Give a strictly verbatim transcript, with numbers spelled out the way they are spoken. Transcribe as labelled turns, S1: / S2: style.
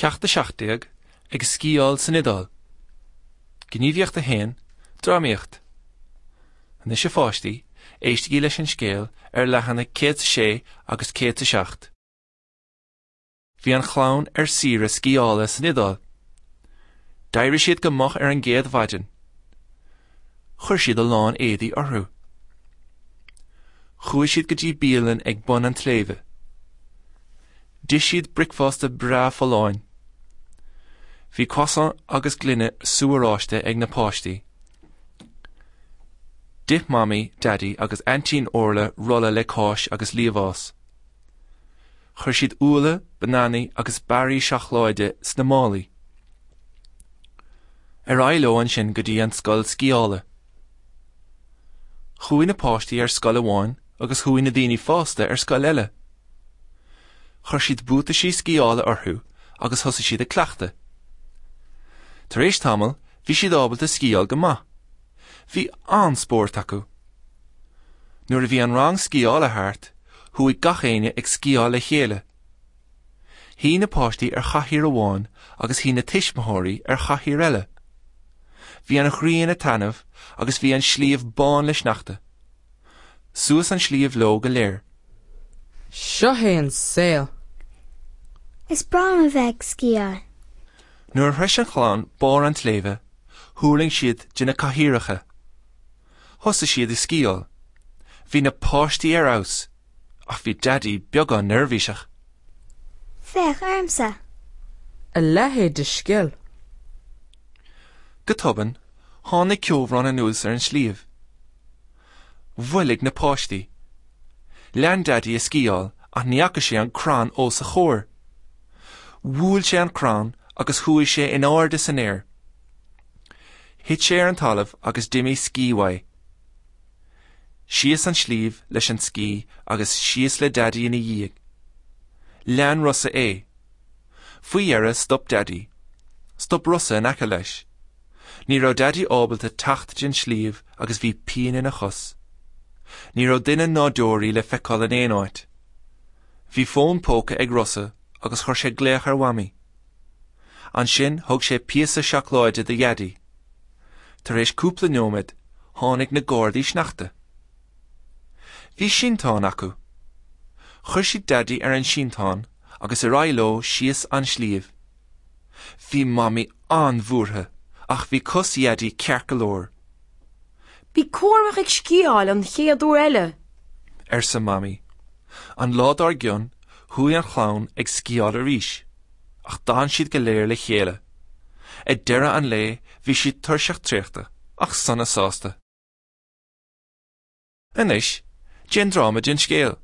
S1: Ceacht a seacht déag, Ag sciáil san Iodáil. Gníomhaíocht a haon, Drámaíocht. Anois a pháistí, éistigí leis an scéal ar leathanaigh céad is a sé agus céad is a seacht. Bhí an chlann ar saoire sciála san Iodáil. D'éirigh siad go moch ar an gcéad mhaidin. Chuir siad a lán éadaí orthu. Chuaigh siad go dtí bialann ag bun an tsléibhe. D'ith siad bricfeasta breá folláin. Bhí croissant agus gloine sú oráiste ag na páistí. D'ith Mamaí, Daidí agus Aintín Orla rolla le cáis agus liamhás. Chuir siad úlla, bananaí agus barraí seacláide sna málaí. Ar aghaidh leo ansin go dtí an scoil sciála. Chuaigh na páistí ar scoil amháin agus chuaigh na daoine fásta ar scoil eile. Chuir siad buataisí sciála orthu agus thosaigh siad ag cleachtadh. Tar éis tamaill, bhí siad ábalta sciáil go maith. Bhí an-spórt acu. Nuair a bhí an rang sciála thart, chuaigh gach éinne ag sciáil le chéile. Shuigh na páistí ar chathaoir amháin agus shuigh na tuismitheoirí ar chathaoir eile. Bhí an ghrian ag taitneamh agus bhí an sliabh bán le sneachta. Suas an sliabh leo go léir.
S2: Seo é an saol.
S3: Is breá liom a bheith ag sciáil.
S1: Nuair a shroich an chlann barr an tsléibhe, thuirling siad de na cathaoireacha. Thosaigh siad ag sciáil. Bhí na páistí ar fheabhas, ach bhí Daidí beagán neirbhíseach.
S3: Féach ormsa!
S2: A leithéid de scil!
S1: Go tobann, tháinig ceobhrán anuas ar an sliabh. Mhoilligh na páistí. Lean Daidí ag sciáil ach ní fhaca sé an crann os a chomhair. Bhuail sé an crann agus chuaigh sé in airde san aer. Thit sé ar an talamh agus d'imigh scí uaidh. Síos an sliabh leis an scí agus síos le Daidí ina dhiaidh. Lean Rossa é. Faoi dheireadh stop Daidí. Stop Rossa in aice leis. Ní raibh Daidí ábalta teacht den sliabh agus bhí pian ina chos. Ní raibh duine ná deoraí le feiceáil in aon áit. Bhí fón póca ag Rossa agus chuir sé glaoch ar Mhamaí. Ansin thug sé píosa seacláide do Dhaidí. Tar éis cúpla nóiméad, tháinig na gardaí sneachta. Bhí sínteán acu. Chuir siad Daidí ar an sínteán agus ar aghaidh leo síos an sliabh. Bhí Mamaí an-bhuartha, ach bhí cos Dhaidí ceart go leor.
S4: Bí cúramach ag sciáil an chéad uair eile!
S1: arsa Mamaí. An lá dár gcionn, chuaigh an chlann ag sciáil arís, ach d'fhan siad go léir le chéile. Ag deireadh an lae, bhí siad tuirseach traochta, ach sona sásta. Anois, déan dráma den scéal.